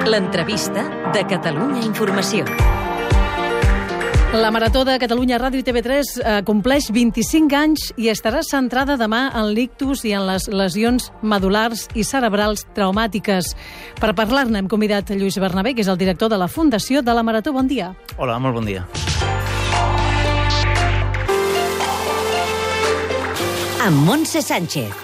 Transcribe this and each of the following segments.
L'entrevista de Catalunya Informació. La Marató de Catalunya Ràdio i TV3 compleix 25 anys i estarà centrada demà en l'ictus i en les lesions medul·lars i cerebrals traumàtiques. Per parlar-ne hem convidat Lluís Bernabé, que és el director de la Fundació de la Marató. Bon dia. Hola, molt bon dia. Amb Montse Sánchez.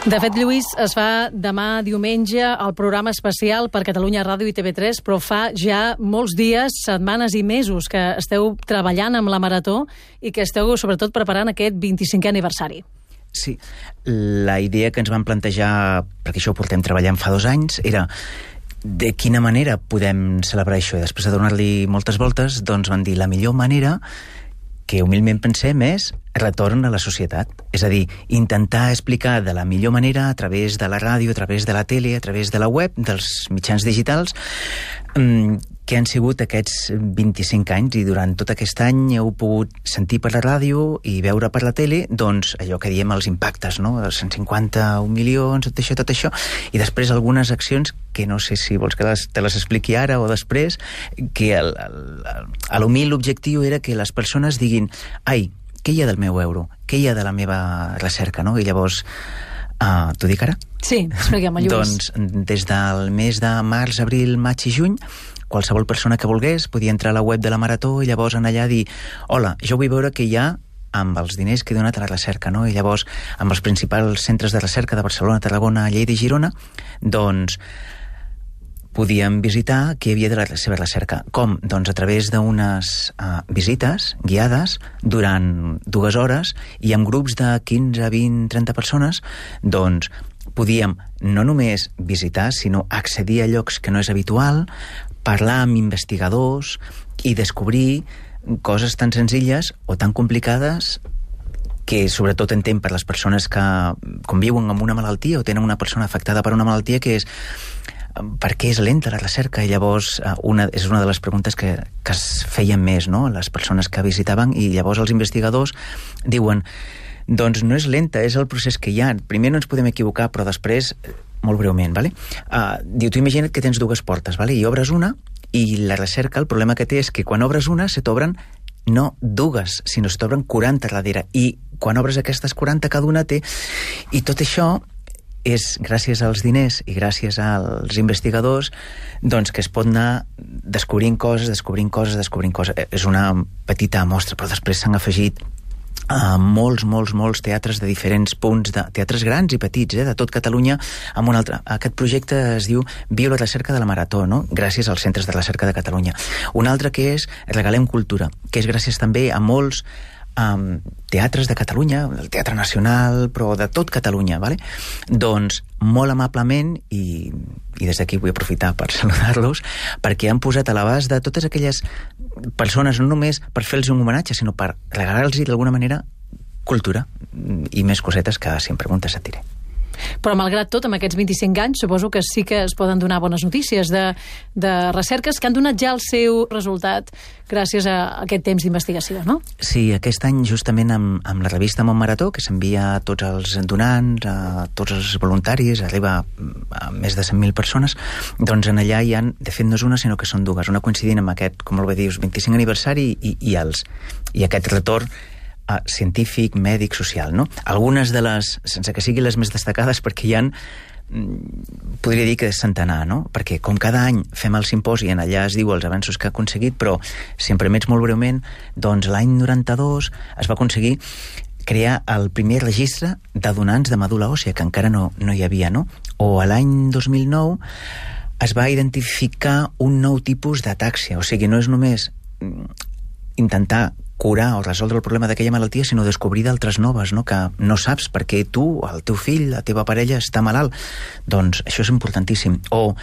De fet, Lluís, es fa demà diumenge el programa especial per Catalunya Ràdio i TV3, però fa ja molts dies, setmanes i mesos que esteu treballant amb la Marató i que esteu, sobretot, preparant aquest 25è aniversari. Sí, la idea que ens vam plantejar, perquè això ho portem treballant fa 2 anys, era de quina manera podem celebrar això. I després de donar-li moltes voltes, doncs van dir la millor manera que humilment pensem és retorn a la societat. És a dir, intentar explicar de la millor manera a través de la ràdio, a través de la tele, a través de la web, dels mitjans digitals, que han sigut aquests 25 anys, i durant tot aquest any heu pogut sentir per la ràdio i veure per la tele, doncs, allò que diem els impactes, no? 151 milions, tot això, i després algunes accions que no sé si vols que te les expliqui ara o després, que l'humil objectiu era que les persones diguin, ai, què hi ha del meu euro? Què hi ha de la meva recerca, no? I llavors, t'ho dic ara? Sí, expliquem, Lluís. Doncs, des del mes de març, abril, maig i juny, qualsevol persona que volgués podia entrar a la web de la Marató i llavors anar allà a dir, hola, jo vull veure què hi ha amb els diners que he donat a la recerca, no? I llavors, amb els principals centres de recerca de Barcelona, Tarragona, Lleida i Girona, doncs podíem visitar què hi havia de la seva recerca. Com? Doncs a través d'unes visites guiades durant 2 hores i amb grups de 15, 20, 30 persones, doncs podíem no només visitar, sinó accedir a llocs que no és habitual, parlar amb investigadors i descobrir coses tan senzilles o tan complicades que sobretot entenc per les persones que conviuen amb una malaltia o tenen una persona afectada per una malaltia, que és per què és lenta la recerca. I llavors és una de les preguntes que es feien més, no?, les persones que visitaven, i llavors els investigadors diuen, doncs no és lenta, és el procés que hi ha. Primer no ens podem equivocar, però després, molt breument, vale? Diu, tu imagina't que tens 2 portes, vale? I obres una, i la recerca, el problema que té és que quan obres una se t'obren no 2, sinó se t'obren 40 darrere, i quan obres aquestes 40 cada una té, i tot això és gràcies als diners i gràcies als investigadors, doncs, que es pot anar descobrint coses. És una petita mostra, però després s'han afegit molts teatres de diferents punts, de teatres grans i petits, de tot Catalunya, amb un altre. Aquest projecte es diu Viu la recerca de la Marató, no?, gràcies als centres de recerca de Catalunya. Un altre que és Regalem Cultura, que és gràcies també a molts teatres de Catalunya, el Teatre Nacional, però de tot Catalunya, vale? Doncs molt amablement, i des d'aquí vull aprofitar per saludar-los, perquè han posat a l'abast de totes aquelles persones, no només per fer-los un homenatge, sinó per regalar-los d'alguna manera cultura i més cosetes que, si em preguntes, et diré. Però, malgrat tot, amb aquests 25 anys, suposo que sí que es poden donar bones notícies de recerques que han donat ja el seu resultat gràcies a aquest temps d'investigació, no? Sí, aquest any, justament amb la revista Món Marató, que s'envia a tots els donants, a tots els voluntaris, arriba a més de 100.000 persones, doncs en allà hi ha, de fet no és una, sinó que són 2, una coincidint amb aquest, com molt bé dius, 25 aniversari i aquest retorn científic, mèdic, social, no? Algunes de les, sense que siguin les més destacades, perquè hi ha, podria dir que és centenar, no? Perquè com cada any fem el simposi, en allà es diu els avenços que ha aconseguit, però si em permets molt breument, doncs l'any 92 es va aconseguir crear el primer registre de donants de medul·la òssia, que encara no hi havia, no? O a l'any 2009 es va identificar un nou tipus d'atàxia, o sigui, no és només intentar curar o resoldre el problema d'aquella malaltia, sinó descobrir d'altres noves, no?, que no saps per què tu, el teu fill, la teva parella està malalt. Doncs això és importantíssim. O,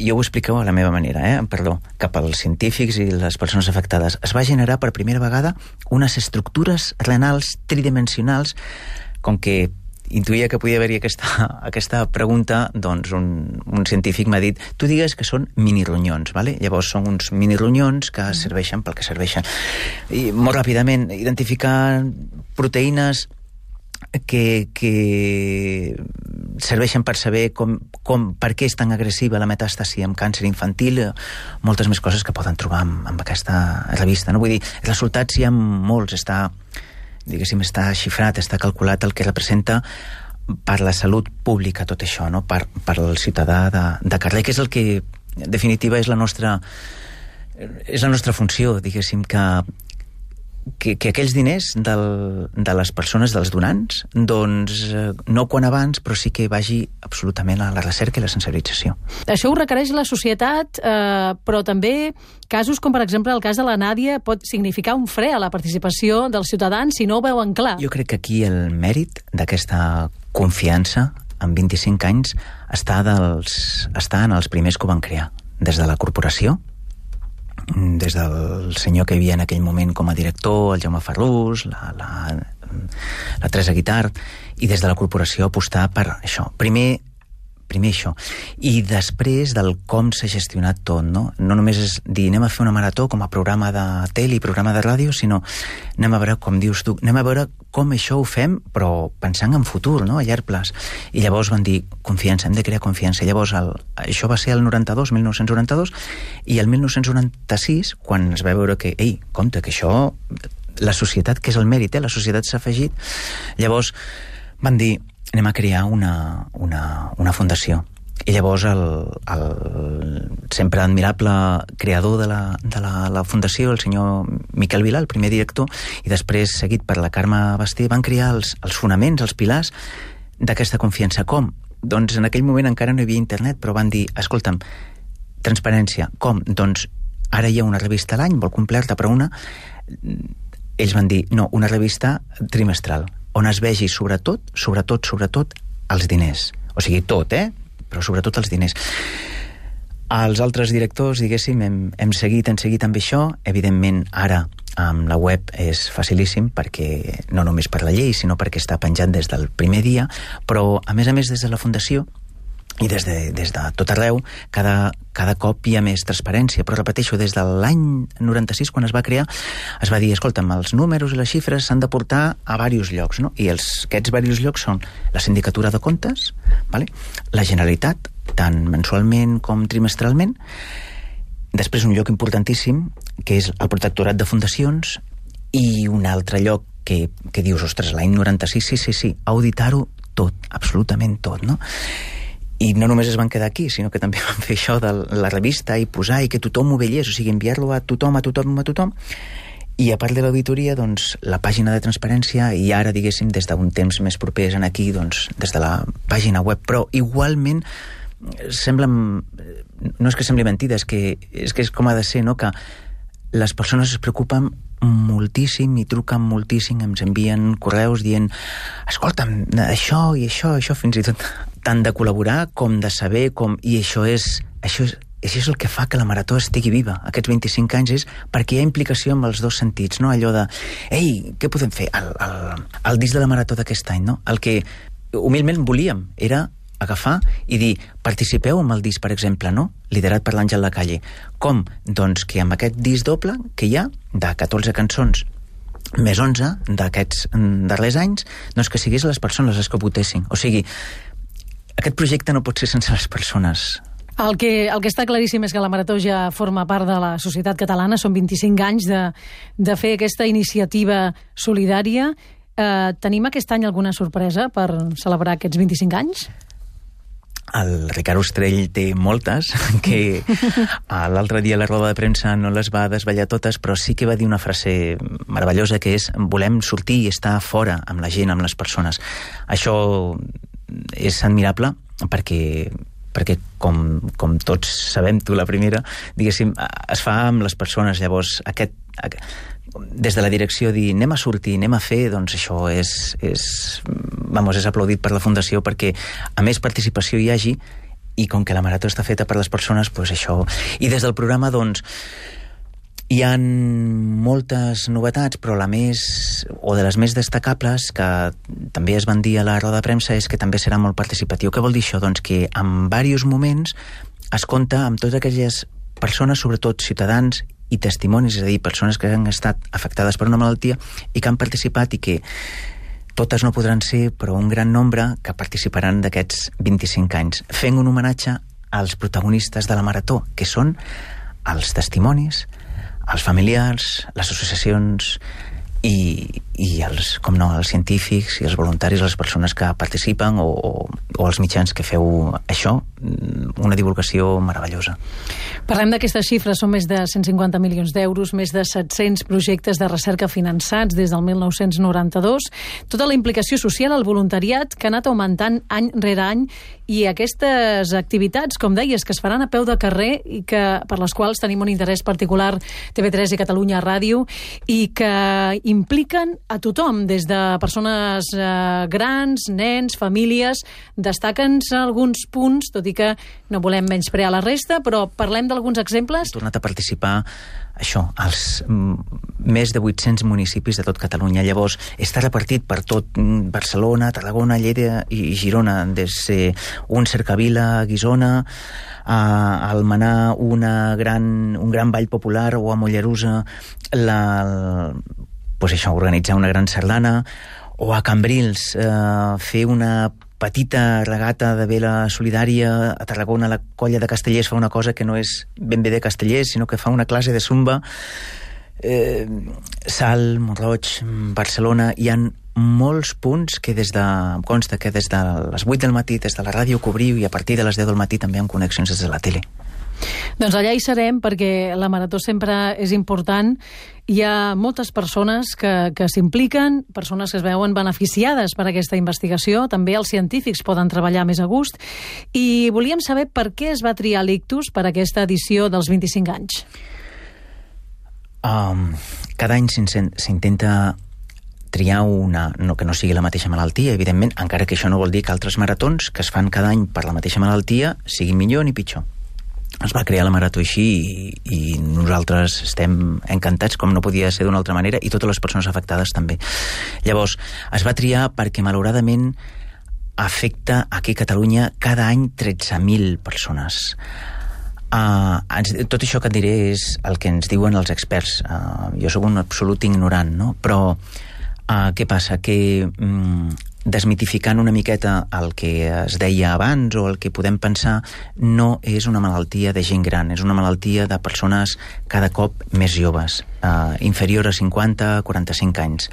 jo ho expliqueu a la meva manera, perdó, cap als científics i les persones afectades. Es va generar per primera vegada unes estructures renals tridimensionals, com que intuïa que podia haver-hi aquesta pregunta, doncs un científic m'ha dit, tu digues que són minironyons, vale? Llavors són uns minironyons que serveixen pel que serveixen. I molt ràpidament identificar proteïnes que serveixen per saber per què és tan agressiva la metàstasi amb càncer infantil, moltes més coses que poden trobar amb aquesta revista, no? Vull dir, els resultats hi ha molts, està xifrat, està calculat el que representa per la salut pública tot això, no? Per al ciutadà de carrer, que és el que, en definitiva, és la nostra funció, diguéssim, que aquells diners de les persones, dels donants, doncs no quan abans, però sí que vagi absolutament a la recerca i la sensibilització. Això ho requereix la societat, però també casos com, per exemple, el cas de la Nàdia pot significar un fre a la participació dels ciutadans si no ho veuen clar. Jo crec que aquí el mèrit d'aquesta confiança en 25 anys està en els primers que ho van crear, des de la corporació, des del senyor que hi havia en aquell moment com a director, el Jaume Ferrús, la Teresa Guitart, i des de la corporació apostar per això. Primer això. I després del com s'ha gestionat tot, no? No només és dir anem a fer una marató com a programa de tele i programa de ràdio, sinó anem a veure, com dius tu, anem a veure com això ho fem, però pensant en futur, no? A llarg plaç. I llavors van dir, confiança, hem de crear confiança. Llavors, això va ser el 1992, i el 1996, quan es va veure que, compte, que això, la societat, que és el mèrit, la societat s'ha afegit, llavors van dir, anem a crear una fundació. I llavors el sempre admirable creador de la fundació, el senyor Miquel Vilà, el primer director, i després seguit per la Carme Basté, van crear els fonaments, els pilars d'aquesta confiança. Com? Doncs en aquell moment encara no hi havia internet, però van dir, escolta'm, transparència. Com? Doncs ara hi ha una revista a l'any, molt completa, però ells van dir, no, una revista trimestral, on es vegi sobretot, els diners. O sigui, tot, però sobretot els diners. Els altres directors, diguéssim, hem seguit amb això. Evidentment, ara, amb la web és facilíssim, perquè no només per la llei, sinó perquè està penjat des del primer dia, però, a més, des de la Fundació, i des de tot arreu, cada cop hi ha més transparència. Però repeteixo, des de l'any 96, quan es va crear, es va dir, escolta'm, els números i les xifres s'han de portar a diversos llocs, no? I aquests diversos llocs són la Sindicatura de Comptes, vale? La Generalitat, tant mensualment com trimestralment, després un lloc importantíssim, que és el Protectorat de Fundacions, i un altre lloc que dius, ostres, l'any 96, sí, auditar-ho tot, absolutament tot, no? I no només es van quedar aquí, sinó que també van fer això de la revista i posar i que tothom ho veiés, o sigui, enviar-lo a tothom. I a part de l'auditoria, doncs, la pàgina de transparència, i ara, diguéssim, des d'un temps més propers en aquí, doncs, des de la pàgina web. Però igualment no és que sembli mentida, és que és com ha de ser, no? Que les persones es preocupen moltíssim i truquen moltíssim, ens envien correus dient, escolta'm, això i això, fins i tot tant de col·laborar com de saber i això és el que fa que la marató estigui viva aquests 25 anys, és perquè hi ha implicació amb els dos sentits, no? Allò de què podem fer? El disc de la marató d'aquest any, no? El que humilment volíem era agafar i dir, participeu amb el disc, per exemple, no? Liderat per l'Àngel Lacalle. Com? Doncs que amb aquest disc doble que hi ha, de 14 cançons més 11 d'aquests darrers anys, doncs que sigués les persones les que votessin. O sigui, aquest projecte no pot ser sense les persones. El que està claríssim és que la Marató ja forma part de la societat catalana, són 25 anys de fer aquesta iniciativa solidària. Tenim aquest any alguna sorpresa per celebrar aquests 25 anys? El Ricard Ostrell té moltes, que l'altre dia a la roda de premsa no les va desvetllar totes, però sí que va dir una frase meravellosa, que és: volem sortir i estar fora amb la gent, amb les persones. Això és admirable perquè com tots sabem, tu la primera, diguéssim, es fa amb les persones. Llavors, des de la direcció dir anem a sortir, anem a fer, doncs això és aplaudit per la Fundació, perquè a més participació hi hagi, i com que la marató està feta per les persones, doncs això. I des del programa, doncs, hi ha moltes novetats, però la més, o de les més destacables, que també es van dir a la roda de premsa, és que també serà molt participatiu. Què vol dir això? Doncs que en diversos moments es compta amb totes aquelles persones, sobretot ciutadans i testimonis, és a dir, persones que han estat afectades per una malaltia i que han participat i que totes no podran ser, però un gran nombre que participaran d'aquests 25 anys, fent un homenatge als protagonistes de la Marató, que són els testimonis, els familiars, les associacions i els, com no, els científics i els voluntaris, les persones que participen o els mitjans que feu això, una divulgació meravellosa. Parlem d'aquestes xifres, són més de 150 milions d'euros, més de 700 projectes de recerca finançats des del 1992, tota la implicació social, el voluntariat que ha anat augmentant any rere any, i aquestes activitats, com deies, que es faran a peu de carrer i que per les quals tenim un interès particular TV3 i Catalunya Ràdio, i que impliquen a tothom, des de persones grans, nens, famílies. Destaquen alguns punts, tot i que no volem menysprear la resta, però parlem d'alguns exemples. He tornat a participar això, als més de 800 municipis de tot Catalunya. Llavors, està repartit per tot Barcelona, Tarragona, Lleida i Girona, des un cercavila a Guissona, a Almenar un gran ball popular, o a Mollerussa pues això, organitzar una gran sardana, o a Cambrils fer una petita regata de vela solidària. A Tarragona la colla de Castellers fa una cosa que no és ben bé de Castellers, sinó que fa una classe de zumba. Salt, Montroig, Barcelona, hi ha molts punts que consta que des de les 8 del matí, des de la ràdio cobriu, i a partir de les 10 del matí també amb connexions des de la tele. Doncs allà hi serem, perquè la Marató sempre és important. Hi ha moltes persones que s'impliquen, persones que es veuen beneficiades per aquesta investigació. També els científics poden treballar més a gust. I volíem saber per què es va triar l'ictus per aquesta edició dels 25 anys. Cada any s'intenta triar una, no, que no sigui la mateixa malaltia, evidentment, encara que això no vol dir que altres maratons que es fan cada any per la mateixa malaltia siguin millor ni pitjor. Es va crear la Marató així i nosaltres estem encantats, com no podia ser d'una altra manera, i totes les persones afectades també. Llavors, es va triar perquè malauradament afecta aquí a Catalunya cada any 13.000 persones. Tot això que et diré és el que ens diuen els experts. Jo sóc un absolut ignorant, no? Però què passa? Que desmitificant una miqueta el que es deia abans o el que podem pensar, no és una malaltia de gent gran, és una malaltia de persones cada cop més joves, inferior a 50-45 anys.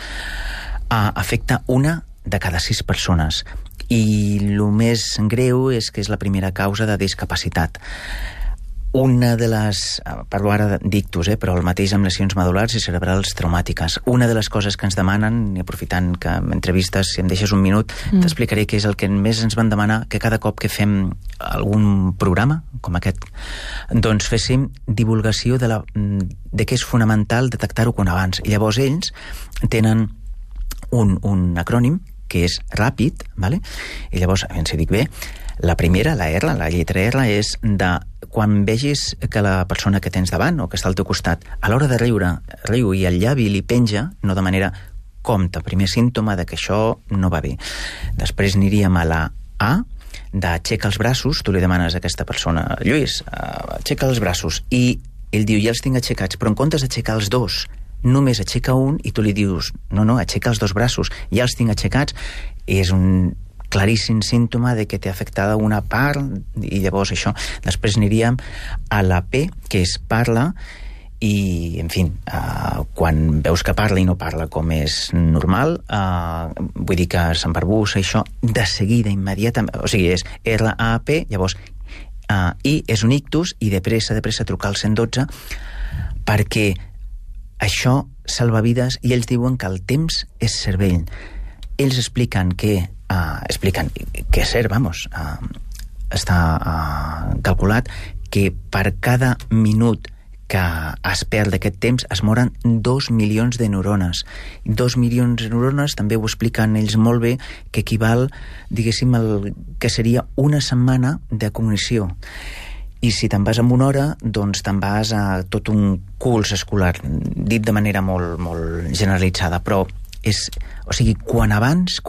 Afecta una de cada 6 persones, i el més greu és que és la primera causa de discapacitat. Una de les, parlo ara d'ictus, però el mateix amb lesions medul·lars i cerebrals traumàtiques. Una de les coses que ens demanen, i aprofitant que m'entrevistes, si em deixes un minut, t'explicaré què és el que més ens van demanar, que cada cop que fem algun programa, com aquest, doncs féssim divulgació de què és fonamental detectar-ho quan abans. I llavors ells tenen un acrònim que és ràpid, vale? I llavors, a veure si dic bé, la primera, la R, la lletra R, és de quan vegis que la persona que tens davant o que està al teu costat, a l'hora de riu i el llavi li penja, no de manera compte, primer símptoma de que això no va bé. Després aniríem a la A, d'aixeca els braços, tu li demanes a aquesta persona, Lluís, aixeca els braços, i ell diu, ja els tinc aixecats, però en comptes d'aixecar els dos, només aixeca un, i tu li dius, no, aixeca els dos braços, ja els tinc aixecats, és un claríssim símptoma de que té afectada una part, i llavors això. Després aniríem a la P, que és parla, i, en fi, quan veus que parla i no parla com és normal, vull dir que s'embarbussa, això, de seguida, immediatament, o sigui, és R-A-P, llavors, I és un ictus, i de pressa trucar al 112, perquè això salva vides, i ells diuen que el temps és cervell. Ells expliquen que és cert, està calculat que per cada minut que es perd d'aquest temps es moren 2 milions de neurones. 2 milions de neurones, també ho expliquen ells molt bé, que equival, diguéssim, al que seria una setmana de cognició. I si te'n vas amb una hora, doncs te'n vas a tot un curs escolar, dit de manera molt, molt generalitzada, però o sigui, quan abans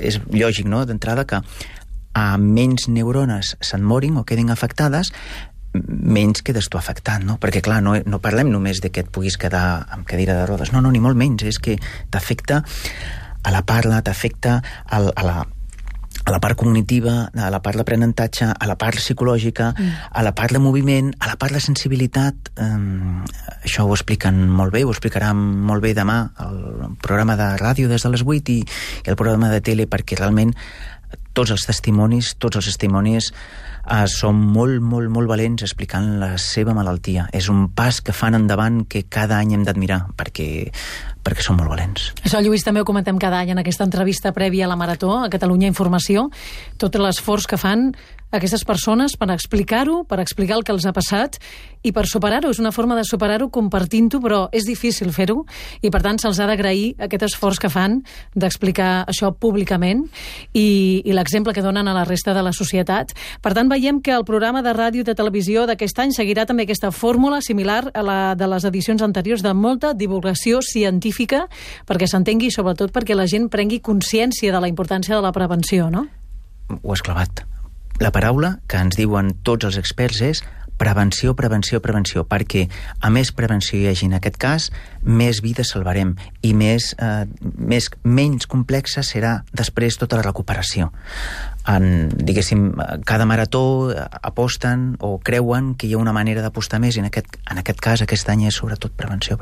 és lògic, no?, d'entrada, que a menys neurones se'n morin o quedin afectades, menys quedes tu afectat, no? Perquè, clar, no parlem només de que et puguis quedar amb cadira de rodes, no, ni molt menys, és que t'afecta a la parla, t'afecta a la part cognitiva, a la part d'aprenentatge, a la part psicològica, a la part de moviment, a la part de sensibilitat. Això ho expliquen molt bé, ho explicarà molt bé demà el programa de ràdio des de les 8 i el programa de tele, perquè realment tots els testimonis són molt valents explicant la seva malaltia. És un pas que fan endavant que cada any hem d'admirar, perquè són molt valents. Això, Lluís, també ho comentem cada any en aquesta entrevista prèvia a la Marató, a Catalunya Informació, tot l'esforç que fan aquestes persones per explicar-ho, per explicar el que els ha passat i per superar-ho. És una forma de superar-ho compartint-ho, però és difícil fer-ho i, per tant, se'ls ha d'agrair aquest esforç que fan d'explicar això públicament i l'exemple que donen a la resta de la societat. Per tant, veiem que el programa de ràdio i de televisió d'aquest any seguirà també aquesta fórmula similar a la de les edicions anteriors, de molta divulgació científica perquè s'entengui i sobretot perquè la gent prengui consciència de la importància de la prevenció, no? Ho has clavat. La paraula que ens diuen tots els experts és prevenció, perquè a més prevenció hi hagi en aquest cas, més vides salvarem i menys complexa serà després tota la recuperació. Diguéssim, cada marató aposten o creuen que hi ha una manera d'apostar més i en aquest cas, aquest any és sobretot prevenció,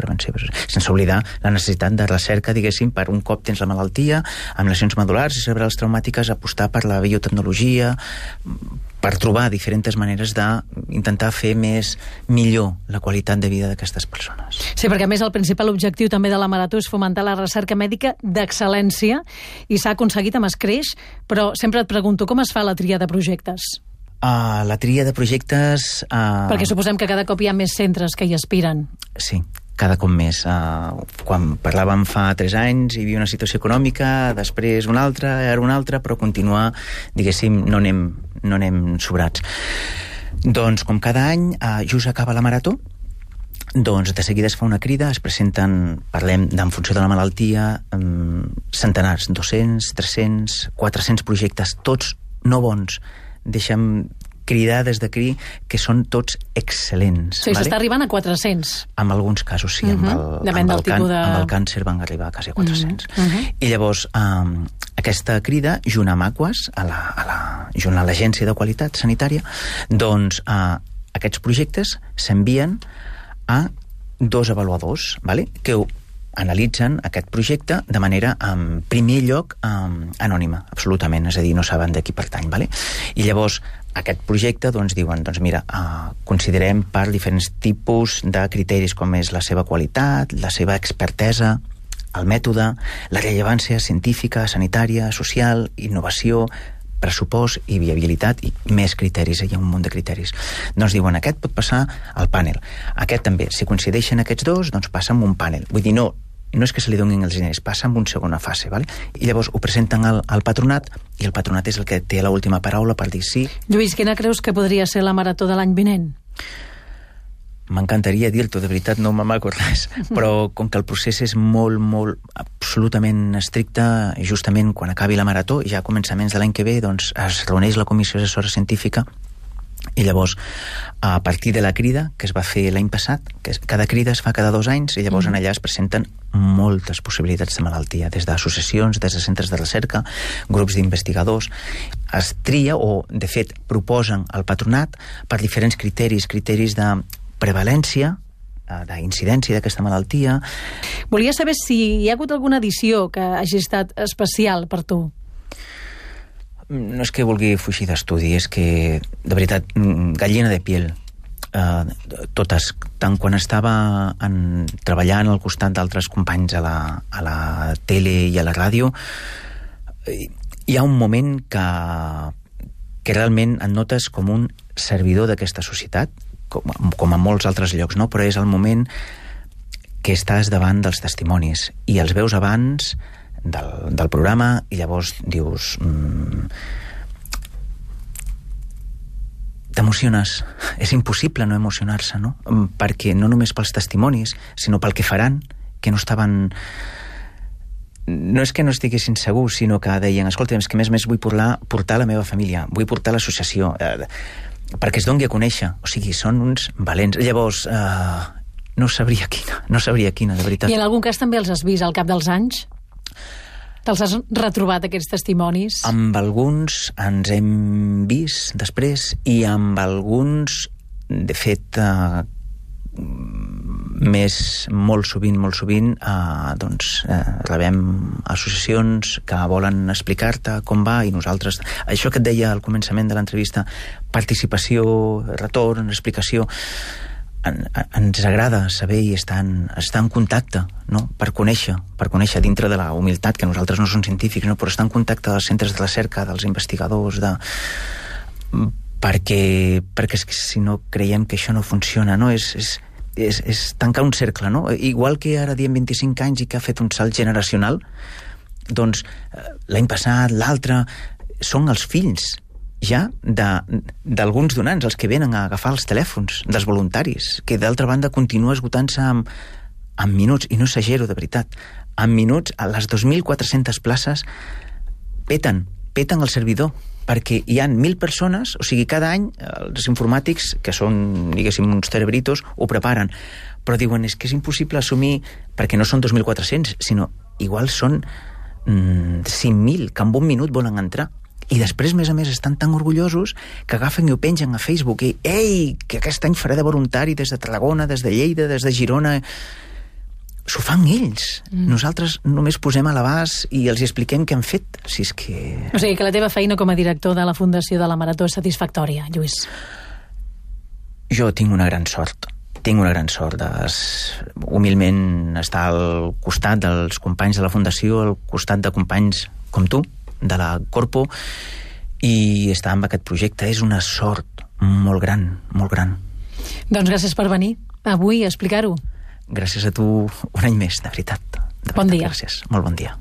sense oblidar la necessitat de recerca, diguéssim, per un cop tens la malaltia, amb lesions medul·lars i cerebrals traumàtiques, apostar per la biotecnologia, per trobar diferents maneres d'intentar fer millor la qualitat de vida d'aquestes persones. Sí, perquè a més el principal objectiu també de la Marató és fomentar la recerca mèdica d'excel·lència i s'ha aconseguit amb escreix, però sempre et pregunto, com es fa la tria de projectes? La tria de projectes... Perquè suposem que cada cop hi ha més centres que hi aspiren. Sí, cada cop més. Quan parlàvem fa 3 anys hi havia una situació econòmica, després una altra, ara una altra, però continuar, diguéssim, no anem sobrats. Doncs com cada any, just acaba la Marató, doncs de seguida es fa una crida, es presenten, parlem en funció de la malaltia, centenars, 200, 300, 400 projectes, tots no bons. Deixa'm cridar des d'aquí que són tots excel·lents. Sí, s'està arribant a 400. En alguns casos, sí. Amb el càncer van arribar a quasi 400. I llavors, aquesta crida, junt amb Aquas, junt a l'Agència de Qualitat Sanitària, doncs aquests projectes s'envien a 2 avaluadors, que analitzen aquest projecte de manera, en primer lloc, anònima, absolutament, és a dir, no saben de qui pertany. I llavors, aquest projecte, diuen, mira, considerem per diferents tipus de criteris, com és la seva qualitat, la seva expertesa, el mètode, la rellevància científica, sanitària, social, innovació, pressupost i viabilitat i més criteris, hi ha un munt de criteris. Doncs diuen, aquest pot passar al pànel. Aquest també, si coincideixen aquests dos, doncs passa amb un pànel. Vull dir, no és que se li donin els diners, passa en una segona fase, I llavors ho presenten al patronat i el patronat és el que té l'última paraula per dir sí. Lluís, quina creus que podria ser la Marató de l'any vinent? M'encantaria dir-t'ho, de veritat no m'amago res, però com que el procés és molt, absolutament estricte, justament quan acabi la Marató, ja a començaments de l'any que ve, doncs es reuneix la Comissió Assessora Científica i llavors, a partir de la crida que es va fer l'any passat, que cada crida es fa cada 2 anys, i llavors en allà es presenten moltes possibilitats de malaltia, des d'associacions, des de centres de recerca, grups d'investigadors. Es tria, o de fet proposen al patronat per diferents criteris de prevalència, d'incidència d'aquesta malaltia. Volia saber si hi ha hagut alguna edició que hagi estat especial per tu. No és que vulgui fugir d'estudi, és que, de veritat, gallina de piel. Totes, tant quan estava treballant al costat d'altres companys a la tele i a la ràdio, hi ha un moment que realment et notes com un servidor d'aquesta societat, com a molts altres llocs, no? Però és el moment que estàs davant dels testimonis i els veus abans del programa i llavors dius t'emociones. És impossible no emocionar-se, no? Perquè no només pels testimonis, sinó pel que faran, que no estaven... No és que no estiguessin segurs, sinó que deien, escolta, és que més vull portar la meva família, vull portar l'associació, perquè es doni a conèixer. O sigui, són uns valents. Llavors, no sabria quina, de veritat. I en algun cas també els has vist al cap dels anys? Te'ls has retrobat, aquests testimonis? Amb alguns ens hem vist després i amb alguns, de fet, molt sovint, rebem associacions que volen explicar-te com va i nosaltres... Això que et deia al començament de l'entrevista, participació, retorn, explicació... Ens agrada saber i estar en contacte, no? per conèixer dintre de la humilitat, que nosaltres no som científics, no? però estar en contacte dels centres de recerca, dels investigadors, perquè si no creiem que això no funciona, no? És tancar un cercle, no? Igual que ara diem 25 anys i que ha fet un salt generacional, doncs l'any passat, l'altre, són els fills ja d'alguns donants, els que venen a agafar els telèfons dels voluntaris, que d'altra banda continua esgotant-se en minuts, i no exagero, de veritat, en minuts, a les 2.400 places peten el servidor, perquè hi ha 1.000 persones, o sigui, cada any els informàtics, que són, diguéssim, uns cerebritos, ho preparen, però diuen, és que és impossible assumir, perquè no són 2.400, sinó igual són 5.000, que en un minut volen entrar. I després, a més, estan tan orgullosos que agafen i ho pengen a Facebook i ei, que aquest any faré de voluntari des de Tarragona, des de Lleida, des de Girona. S'ho fan ells. Nosaltres només posem a l'abast i els expliquem què han fet. Si és que... O sigui que la teva feina com a director de la Fundació de la Marató és satisfactòria, Lluís. Jo tinc una gran sort. Humilment estar al costat dels companys de la Fundació, al costat de companys com tu, de la Corpo, i estar amb aquest projecte és una sort molt gran, molt gran. Doncs gràcies per venir avui a explicar-ho. Gràcies a tu un any més, de veritat. Bon dia. Gràcies, molt bon dia.